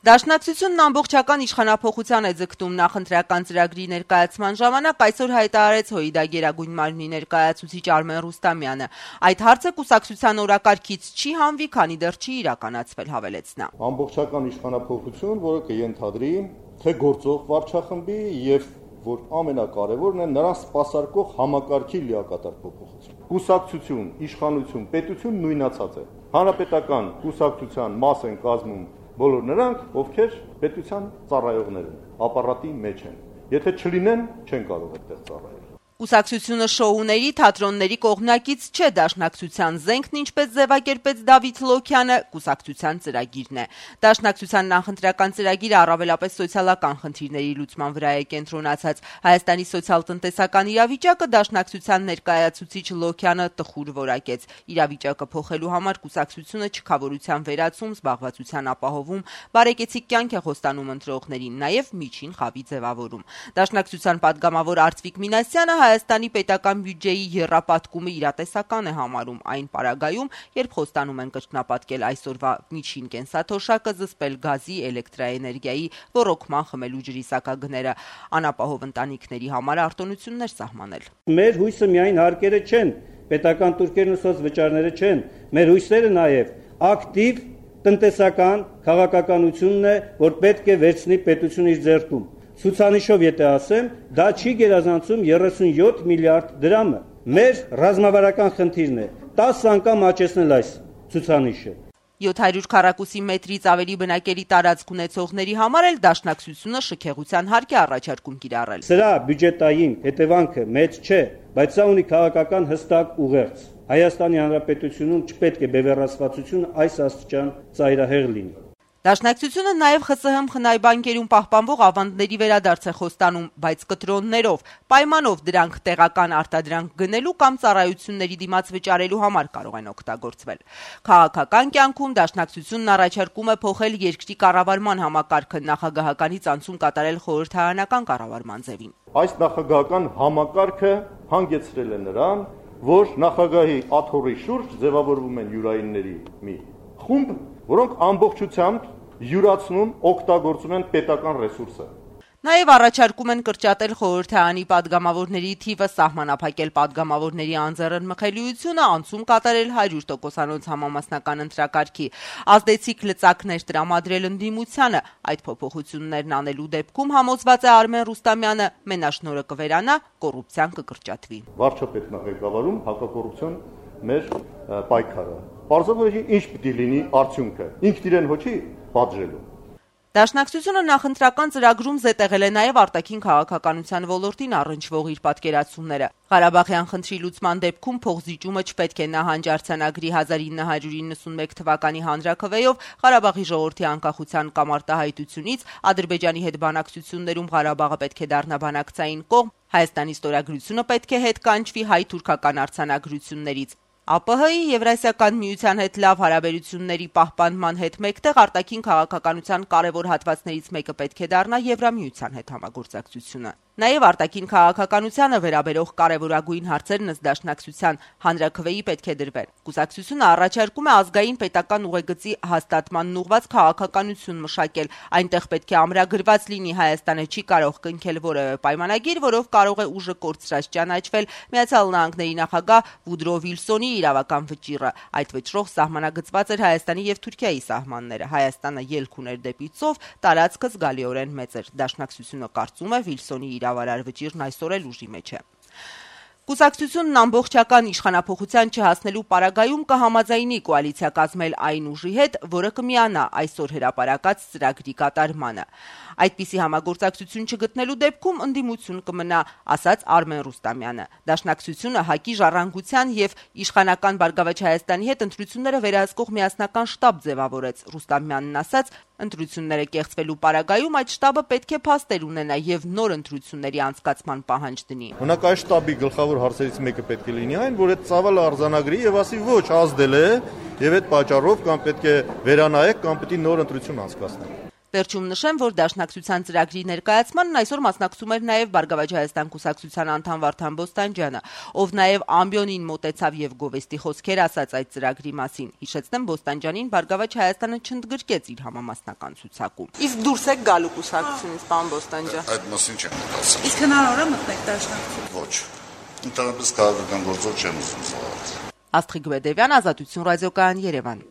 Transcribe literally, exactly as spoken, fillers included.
Դաշնակցությունն ամբողջական իշխանափոխության է ձգտում նախընտրական ծրագրի ներկայացման ժամանակ այսօր հայտարարեց ՀՅԴ Գերագույն մարմնի ներկայացուցիչ Արմեն Ռուստամյանը։ Այդ հարցը կուսակցության օրակարգից չի հանվի, քանի դեռ չի իրականացվել, հավելեց նա։ Ամբողջական իշխանափոխություն, որը կենթադրի թե գործող վարչախմբի եւ որ ամենակարևորն է նրան սպասարկող համակարգի լիակատար փոփոխություն։ Կուսակցություն, իշխանություն, պետություն նույնացած է։ Հանրապետական կուսակցության մաս են կազմում բոլոր նրանք, ովքեր պետության ծառայողներ են, ապարատի մեջ են։ Եթե չլինեն, չեն կարող այդտեղ ծառայել։ Կուսակցությունը շոուների, թատրոնների կողմնակից չէ, Դաշնակցության զենքն ինչպես ձևակերպեց Դավիթ Լոքյանը, կուսակցության ծրագիրն է։ Դաշնակցության նախընտրական ծրագիրը առավելապես սոցիալական խնդիրների լուծման վրա է կենտրոնացած։ Հայաստանի սոցիալ-տնտեսական իրավիճակը Դաշնակցության ներկայացուցիչ Լոքյանը տխուր որակեց։ Իրավիճակը փոխելու համար կուսակցությունը չքավորության վերացում, զբաղվածության ապահովում, բարեկեցիկ կյանք է խոստանում ընտրողներին, նաև միջին խավի ձևավորում։ Դաշնակցության պատգամավոր Արծվիկ Մինասյանը Հայաստանի պետական բյուջեի եռապատկումը իրատեսական է համարում այն պարագայում, երբ խոստանում են կրկնապատկել այսօրվա միջին կենսաթոշակը, զսպել գազի, էլեկտրաէներգիայի, ոռոգման, խմելու ջրի սակագները, անապահով ընտանիքների համար արտոնություններ սահմանել։ Մեր հույսը միայն հարկերը չեն, պետական տուրքերն ու սոցվճարները չեն, մեր հույսերը նաև ակտիվ տնտեսական քաղաքականությունն է, որ պետք է վերցնի պետությունը իր ձեռքում։ Ցուցանիշով եթե ասեմ, դա չի գերազանցում երեսունյոթ միլիարդ դրամը։ Մեր ռազմավարական խնդիրն է տասը անգամ աճեցնել այս ցուցանիշը։ յոթ հարյուր քառակուսի մետրից ավելի բնակելի տարածք ունեցողների համար էլ Դաշնակցությունը շքեղության հարկ է առաջարկում կիրառել։ Սրա բյուջետային հետևանքը մեծ չէ, բայց սա ունի քաղաքական հստակ ուղերձ։ Հայաստանի Հանրապետությունում չպետք է բևեռացվածություն այս աստիճան ծայրահեղ լինի։ Դաշնակցությունը նաև ԽՍՀՄ խնայբանկերում պահպանվող ավանդների վերադարձ է խոստանում, բայց կտրոններով, պայմանով դրանք տեղական արտադրանք գնելու կամ ծառայությունների դիմաց վճարելու համար կարող են օգտագործվել։ Քաղաքական կյանքում Դաշնակցությունն առաջարկում է փոխել երկրի կառավարման համակարգը, նախագահականից անցում կատարել խորհրդարանական կառավարման ձևին։ Այս նախագահական համակարգը հանգեցրել է նրան, որ նախագահի աթոռի շուրջ ձևավորվում են յուրայինների մի խումբ, որոնք ամբողջությամբ յուրացնում, օգտագործում են պետական ռեսուրսը։ Նաև առաջարկում են կրճատել խորհրդարանի падգամավորների թիվը, սահմանափակել падգամավորների անձեռնմխելիությունը, անցում կատարել հարյուր տոկոսանոց համամասնական ընտրակարգի, ազդեցիկ լծակներ տրամադրել ընդդիմությանը։ Այդ փոփոխություններն անելու դեպքում, համոզված է Արմեն Ռուստամյանը, մենաշնորհը կվերանա, կոռուպցիան կկրճատվի։ Վարչապետն է ղեկավարում հակակոռուպցիոն մեր պայքարը։ Պարզապես ինչ պիտի լինի արդյունքը։ Ինքն իրեն հոչի պատժելու։ Դաշնակցությունը նախընտրական ծրագրում զետեղել է նաև արտաքին քաղաքականության ոլորտին առնչվող իր պատկերացումները։ Ղարաբաղյան խնդրի լուծման դեպքում փոխզիջումը չպետք է նահանջ արձանագրի հազար ինը հարյուր իննսունմեկ թվականի հանրաքվեով Ղարաբաղի ժողովրդի անկախության կամ արտահայտությունից, Ադրբեջանի հետ բանակցություններում Ղարաբաղը պետք է դառնա բանակցային կողմ, Հայաստանի ստորագրությունը պետք է հետ կանչվի հայ-թուրքական արձանագրություններից։ ԱՊՀ-ի Եվրասիական միության հետ լավ հարաբերությունների պահպանման հետ մեկտեղ արտաքին քաղաքականության կարևոր հատվածներից մեկը պետք է դառնա Եվրամիության հետ համագործակցությունը։ Նաև արտաքին քաղաքականությանը վերաբերող կարևորագույն հարցերն ըստ Դաշնակցության հանրաքվեի պետք է դրվեն։ Կուսակցությունը առաջարկում է ազգային պետական ուղեգծի հաստատմանն ուղղված քաղաքականություն մշակել։ Այնտեղ պետք է ամրագրված լինի Հայաստանը չի կարող կնքել որևէ պայմանագիր, որով կարող է ուժը կորցրած ճանաչվել Միացյալ Նահանգների նախագահ Վուդրո Վիլսոնի իրավական վճիռը։ Այդ վճռով սահմանագծված էր Հայաստանի եւ Թուրքիայի սահմանները։ Հայաստանը ելք ուներ դեպի ծով, տարածքը զգալիորեն մեծ էր։ Դաշնակցությունը կարծում է Վիլսոնի իրավարար վճիռն այսօր էլ ուժի մեջ է։ Կուսակցությունն ամբողջական իշխանափոխության չհասնելու պարագայում կհամաձայնի կոալիցիա կազմել այն ուժի հետ, որը կմիանա այսօր հրապարակած ծրագրի կատարմանը։ Այդպիսի համագործակցություն չգտնելու դեպքում ընդդիմություն կմնա, ասաց Արմեն Ռուստամյանը։ Դաշնակցությունը ՀԱԿ-ի ժառանգության եւ իշխանական Բարգավաճ Հայաստանի հետ ընտրությունները վերահսկող միասնական շտաբ ձևավորեց։ Ռուստամյանն ասաց, ընտրությունները կեղծվելու պարագայում այդ շտաբը պետք է փաստեր ունենա եւ նոր ընտրությունների անցկացման պահանջ դնի։ Օրինակ այս շտաբի գլխավոր հարցերից մեկը պետք է լինի այն, որ այդ ծավալը արձանագրի եւ ասի ոչ, ազդել է եւ այդ պատճառով կամ պետք է վերանայեք կամ պետք է նոր ընտրություն անցկացնենք։ Վերջում նշեմ, որ Դաշնակցության ծրագրի ներկայացմանն այսօր մասնակցում էր նաև Բարգավաճ Հայաստան կուսակցության անդամ Վարդան Բոստանջյանը, ով նաև ամբիոնին մոտեցավ եւ գովեստի խոսքեր ասաց այդ ծրագրի մասին։ Հիշեցնեմ, Բոստանջյանին Բարգավաճ Հայաստանը չընդգրկեց իր համամասնական ցուցակում։ Իսկ դուրս եք գալու կուսակցությունից, պարոն Բոստանջյան։ Այդ մասին չեմ մտածում։ Իսկ հնարավոր է մտնեք Դաշնակցություն։ Ոչ։ Ընդհանրապես քաղաքական գործող չեմ ուզում զբաղվել։ Աստղիկ Բեդևյան, Ազատություն ռադիոկայան, Երևան։